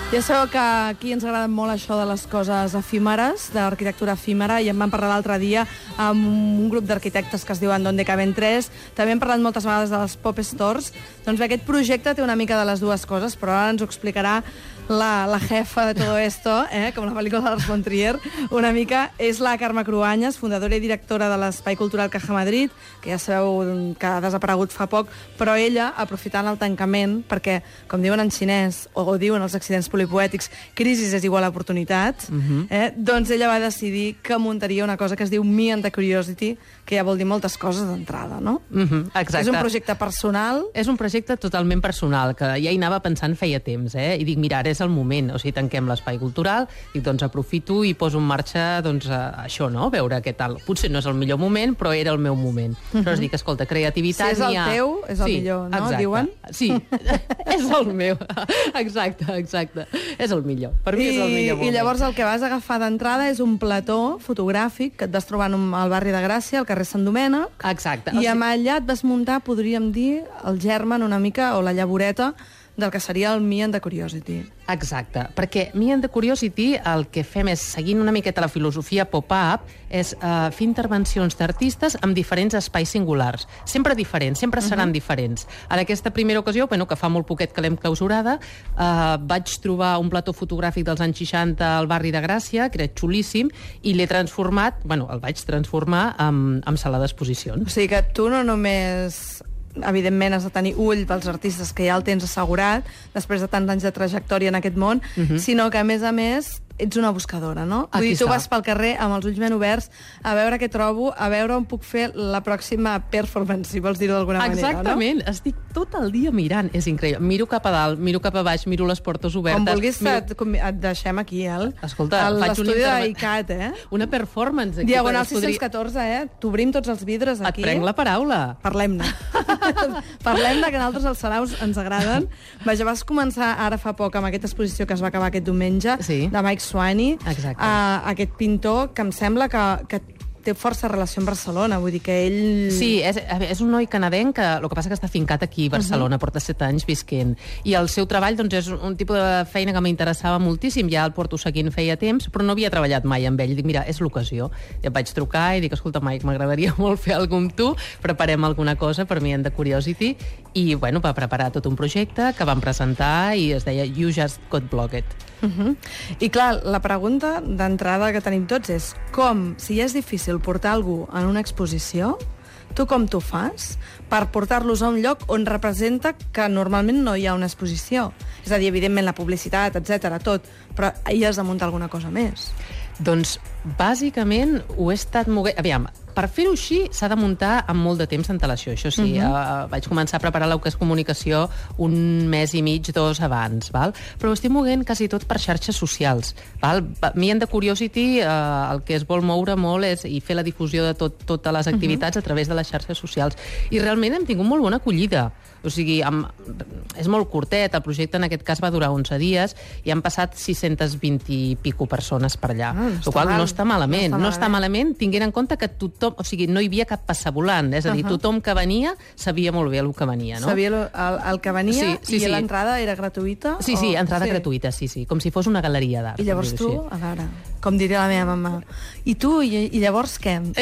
Ja sabeu que aquí ens agrada molt això de les coses efímeres, de l'arquitectura efímera, i en vam parlar l'altre dia amb un grup d'arquitectes que es diuen Donde Caben Tres. També hem parlat moltes vegades de les Pop Stores. Doncs bé, aquest projecte té una mica de les dues coses, però ara ens ho explicarà la jefa de todo esto, com la pel·lícula de Lars von Trier, una mica, és la Carme Cruanyes, fundadora i directora de l'Espai Cultural Caja Madrid, que ja sabeu que ha desaparegut fa poc, però ella, aprofitant el tancament, perquè, com diuen en xinès, o diuen els accidents polipoètics, crisi és igual a oportunitat, doncs ella va decidir que muntaria una cosa que es diu Me and the Curiosity, que ja vol dir moltes coses d'entrada, no? Exacte. És un projecte personal. És un projecte totalment personal, que ja hi anava pensant feia temps, i dic, mira, ara és el moment, o sigui, tanquem l'espai cultural, i doncs aprofito i poso en marxa, doncs, això, no?, veure què tal. Potser no és el millor moment, però era el meu moment. Aleshores dic, escolta, creativitat... Si és el teu, és el millor, no?, exacte. diuen? Sí, és el meu. Exacte. És el millor. Per mi és el millor moment. I llavors el que vas agafar d'entrada és un plató fotogràfic que et vas trobar al barri de Gràcia, al carrer Sant Domènec. Exacte. I amb allà et vas muntar, podríem dir, el germen una mica, o la llavoreta, del que seria el Me and the Curiosity. Exacte, perquè Me and the Curiosity el que fem és, seguint una miqueta la filosofia pop-up, és fer intervencions d'artistes amb diferents espais singulars. Sempre diferents, sempre seran diferents. En aquesta primera ocasió, que fa molt poquet que l'hem clausurada, vaig trobar un plató fotogràfic dels anys 60 al barri de Gràcia, que era xulíssim, i l'he transformat, el vaig transformar en sala d'exposicions. O sigui que tu no només... evidentment has de tenir ull pels artistes que ja el tens assegurat després de tants anys de trajectòria en aquest món, sinó que a més ets una buscadora, no? Vull dir, tu vas pel carrer amb els ulls ben oberts a veure què trobo, a veure on puc fer la pròxima performance, si vols dir-ho d'alguna manera, no? Exactament, estic tot el dia mirant, és increïble. Miro cap a dalt, miro cap a baix, miro les portes obertes... Com vulguis et deixem aquí, Escolta, faig l'estudi d'ICAT, una performance. Diagonal 614, t'obrim tots els vidres aquí. Et prenc la paraula. Parlem-ne. Parlem-ne, que a nosaltres els saraus ens agraden. Vaja, vas començar ara fa poc amb aquesta exposició que es va acabar aquest diumenge, de Mike Swaney, aquest pintor que em sembla que té força relació amb Barcelona, vull dir que ell... Sí, és un noi canadenc, el que passa que està fincat aquí a Barcelona, porta 7 anys visquent, i el seu treball doncs, és un tipus de feina que m'interessava moltíssim, ja el porto seguint feia temps, però no havia treballat mai amb ell. Dic, mira, és l'ocasió. I em vaig trucar i dic, escolta, Mike, m'agradaria molt fer alguna amb tu, preparem alguna cosa per Me and the Curiosity, i bueno, va preparar tot un projecte que vam presentar i es deia You Just Got Blocked. I clar, la pregunta d'entrada que tenim tots és com, si ja és difícil portar algú en una exposició, tu com t'ho fas per portar-los a un lloc on representa que normalment no hi ha una exposició? És a dir, evidentment, la publicitat, etc, tot, però hi has de muntar alguna cosa més. Doncs, bàsicament, ho he estat moguent... Aviam, per fer-ho així s'ha de muntar amb molt de temps d'antelació, això sí. Vaig començar a preparar el que és comunicació un mes i mig, 2 abans, val? Però ho estic moguent quasi tot per xarxes socials. Val? Me and the Curiosity el que es vol moure molt és i fer la difusió de totes les activitats a través de les xarxes socials. I realment hem tingut molt bona acollida. O sigui, és molt curtet, el projecte en aquest cas va durar 11 dies i han passat 620 i pico persones per allà. El qual no està malament. No està malament, tinguent en compte que tothom, o sigui, no hi havia cap passavolant, és a dir, tothom que venia sabia molt bé el que venia, no? Sabia el que venia i l'entrada era gratuïta? Sí, entrada gratuïta, sí, com si fos una galeria d'art. I llavors tu, a veure, com diria la meva mamà, i tu, i llavors què? En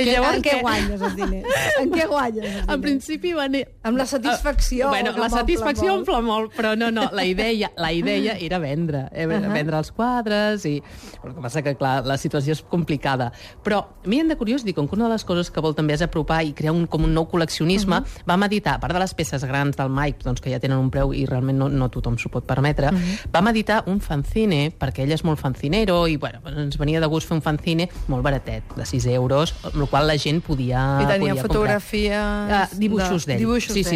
què guanyes els diners? En què guanyes els diners? En principi va anar... Amb la satisfacció. Bueno, la satisfacció omple molt, però no, la idea era vendre els quadres, i el que passa que, clar, la situació és complicada. Però, Me and the Curiosity, com que una de les coses que vol també és apropar i crear com un nou col·leccionisme, vam editar, a part de les peces grans del Mike, doncs, que ja tenen un preu i realment no tothom s'ho pot permetre, vam editar un fanzine, perquè ell és molt fanzinero, i bueno, ens venia de gust fer un fanzine molt baratet, de 6 euros, amb el qual la gent podia comprar. I tenia fotografia... Dibuixos d'ell.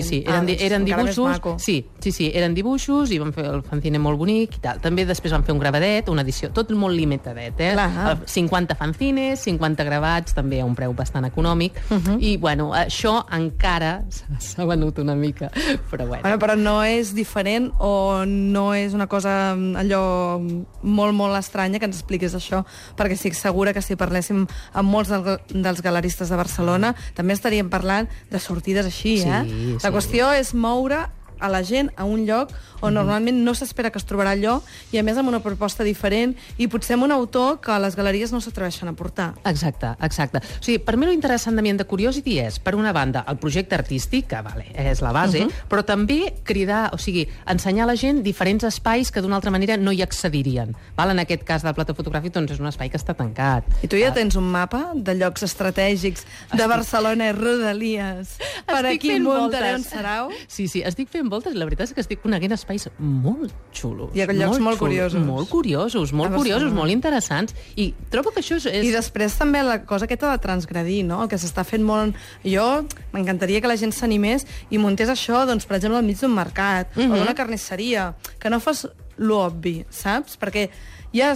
Sí, eren dibuixos. Sí, eren dibuixos i vam fer el fanzine molt bonic i tal. També després vam fer un gravadet, una edició, tot molt limitadet, 50 fanzines, 50 gravats, també a un preu bastant econòmic, i bueno, això encara s'ha venut una mica, però bueno. Però no és diferent o no és una cosa allò molt, molt estranya que ens expliquis això, perquè estic segura que si parléssim amb molts dels galeristes de Barcelona també estaríem parlant de sortides així, La qüestió és moure a la gent a un lloc on normalment no s'espera que es trobarà allò, i a més amb una proposta diferent, i potser amb un autor que les galeries no s'atreveixen a portar. Exacte. O sigui, per mi l'interessant d'Ambient de Curiosity és, per una banda, el projecte artístic, que és la base, però també cridar, o sigui, ensenyar a la gent diferents espais que d'una altra manera no hi accedirien. En aquest cas del plató fotogràfic, doncs és un espai que està tancat. I tu ja tens un mapa de llocs estratègics de Barcelona i Rodalies per aquí muntaré un sarau? Sí, estic fent voltes, la veritat és que estic coneguent espais molt xulos. Hi ha llocs molt curiosos. Molt curiosos, molt interessants, i trobo que això és... I després també la cosa aquesta de transgredir, no? El que s'està fent molt... Jo m'encantaria que la gent s'animés i muntés això, doncs, per exemple, al mig d'un mercat o d'una carnisseria, que no fos l'obvi, saps? Perquè ja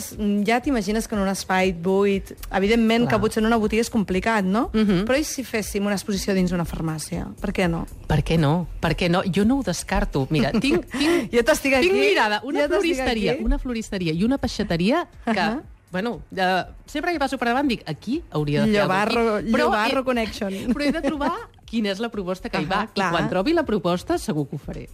t'imagines que en un espai buit, evidentment que potser en una botiga és complicat, no? Però i si féssim una exposició dins una farmàcia? Per què no? Per què no? Jo no ho descarto. Mira, tinc mirada, una floristeria i una peixateria que... Bueno, sempre que passo per davant dic, aquí hauria de fer alguna cosa. Llobarro Connection. Però he de trobar quina és la proposta que hi va. I quan trobi la proposta, segur que ho faré.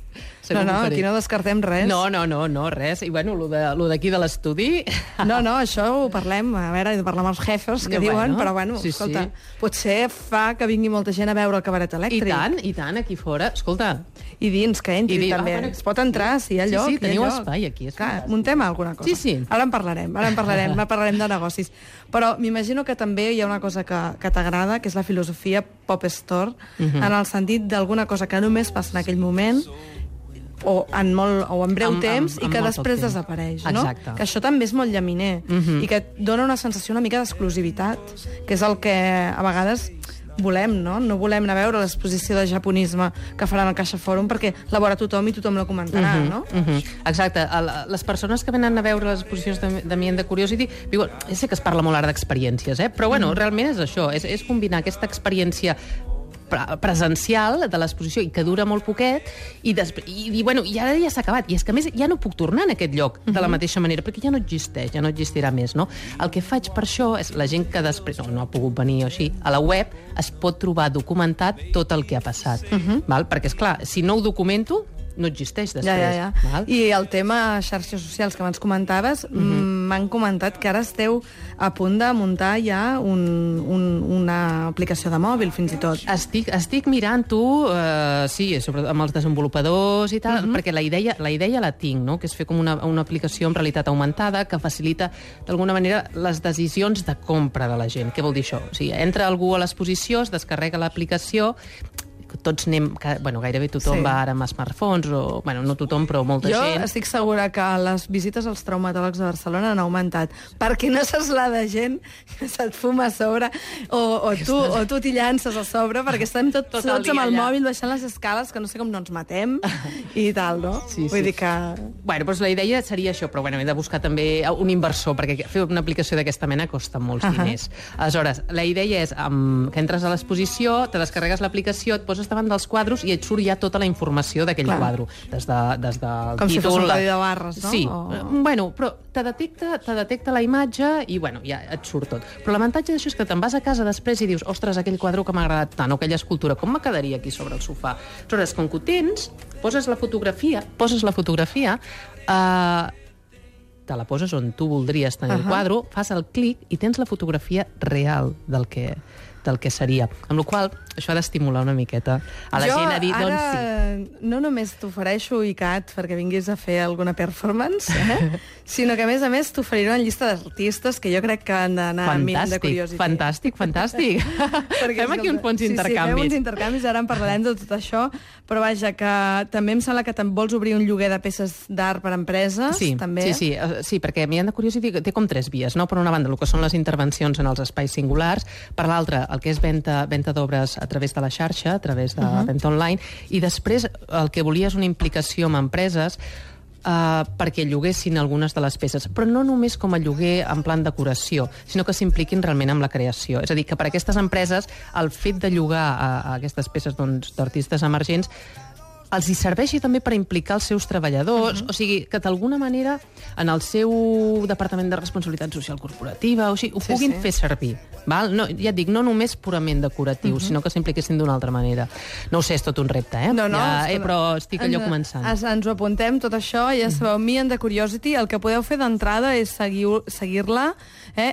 Aquí no descartem res. No, res. I bueno, lo d'aquí de l'estudi... No, això ho parlem, a veure, he de parlar amb els jefes que diuen, però bueno, escolta, potser fa que vingui molta gent a veure el cabaret elèctric. I tant, aquí fora. Escolta... I dins, que entri també. Es pot entrar, si hi ha lloc. Sí, teniu espai aquí. Muntem alguna cosa. Sí. Ara en parlarem de negocis. Però m'imagino que també hi ha una cosa que t'agrada, que és la filosofia Pop Store, en el sentit d'alguna cosa que només passa en aquell moment, o en breu temps, i que després desapareix, no? Exacte. Que això també és molt llaminer, i que et dona una sensació una mica d'exclusivitat, que és el que a vegades volem, no? No volem anar a veure l'exposició de japonisme que faran al Caixa Fòrum perquè la veurà tothom i tothom la comentarà, no? Exacte. Les persones que venen a veure les exposicions d'Ambient de Curiosity, sé que es parla molt ara d'experiències, però bueno, realment és això, és combinar aquesta experiència presencial de l'exposició i que dura molt poquet i ara ja s'ha acabat, i és que a més ja no puc tornar en aquest lloc de la mateixa manera perquè ja no existeix, ja no existirà més, no? El que faig per això és la gent que després no ha pogut venir o així, a la web es pot trobar documentat tot el que ha passat, perquè és clar, si no ho documento no existeix després. Ja. I el tema xarxes socials que abans comentaves, m'han comentat que ara esteu a punt de muntar ja una aplicació de mòbil, fins i tot. Estic mirant-ho, sobretot amb els desenvolupadors i tal, perquè la idea la tinc, no? Que és fer com una aplicació en realitat augmentada que facilita, d'alguna manera, les decisions de compra de la gent. Què vol dir això? O sigui, entra algú a l'exposició, es descarrega l'aplicació, tots anem, gairebé tothom va ara amb smartphones, o, no tothom, però molta gent. Jo estic segura que les visites als traumatòlegs de Barcelona han augmentat, perquè no saps la de gent que se't fuma a sobre, o tu t'hi llances a sobre, perquè estem tots amb el mòbil baixant les escales, que no sé com no ens matem, i tal, no? Vull dir que... Doncs la idea seria això, però he de buscar també un inversor, perquè fer una aplicació d'aquesta mena costa molts diners. Aleshores, la idea és que entres a l'exposició, te descarregues l'aplicació, et poses davant dels quadros i et surt ja tota la informació d'aquell quadro. Des del títol... Com si fos un codi de barres, no? Sí. Però te detecta la imatge i, ja et surt tot. Però l'avantatge d'això és que te'n vas a casa després i dius, ostres, aquell quadre que m'ha agradat tant, o aquella escultura, com me quedaria aquí sobre el sofà? Aleshores, com que ho tens, poses la fotografia, te la poses on tu voldries tenir el quadre, fas el clic i tens la fotografia real del que seria. Amb la qual cosa, això ha d'estimular una miqueta a la gent a dir, doncs sí. Jo no només t'ofereixo ICAT perquè vinguis a fer alguna performance, sinó que, a més, t'oferiré una llista d'artistes que jo crec que han d'anar a Ambient de Curiosity. Fantàstic. Fem aquí uns bons intercanvis. Sí, fem uns intercanvis, ara en parlarem de tot això, però vaja, que també em sembla que vols obrir un lloguer de peces d'art per a empreses, també. Sí, perquè Ambient de Curiosity té com 3 vies, no? Per una banda, el que són les intervencions en els espais singulars, per l'altra, el que és venda d'obres a través de la xarxa, a través de venda online, i després el que volia és una implicació amb empreses perquè lloguessin algunes de les peces, però no només com a lloguer en plan decoració, sinó que s'impliquin realment amb la creació. És a dir, que per a aquestes empreses el fet de llogar a aquestes peces d'artistes emergents els hi serveixi també per implicar els seus treballadors, o sigui, que d'alguna manera en el seu departament de responsabilitat social corporativa, o sigui, ho puguin fer servir. Val? No, ja et dic, no només purament decoratiu, sinó que s'impliquessin d'una altra manera. No ho sé, és tot un repte, però estic allò començant. Ens ho apuntem, tot això, ja sabeu, Me and the Curiosity, el que podeu fer d'entrada és seguir-la,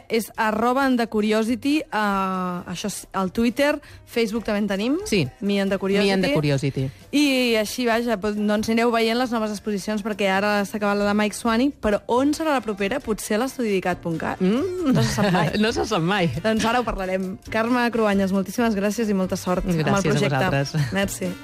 és @andthecuriosity, això al Twitter, Facebook també en tenim, sí. Me and the Curiosity. Me and the Curiosity. I així, vaja, doncs anireu veient les noves exposicions, perquè ara s'ha acabat la de Mike Swaney, però on serà la propera? Potser a l'estudidicat.cat. No se sap mai. No se sap mai. Doncs ara ho parlarem. Carme Cruanyes, moltíssimes gràcies i molta sort amb el projecte. Gràcies a vosaltres. Merci.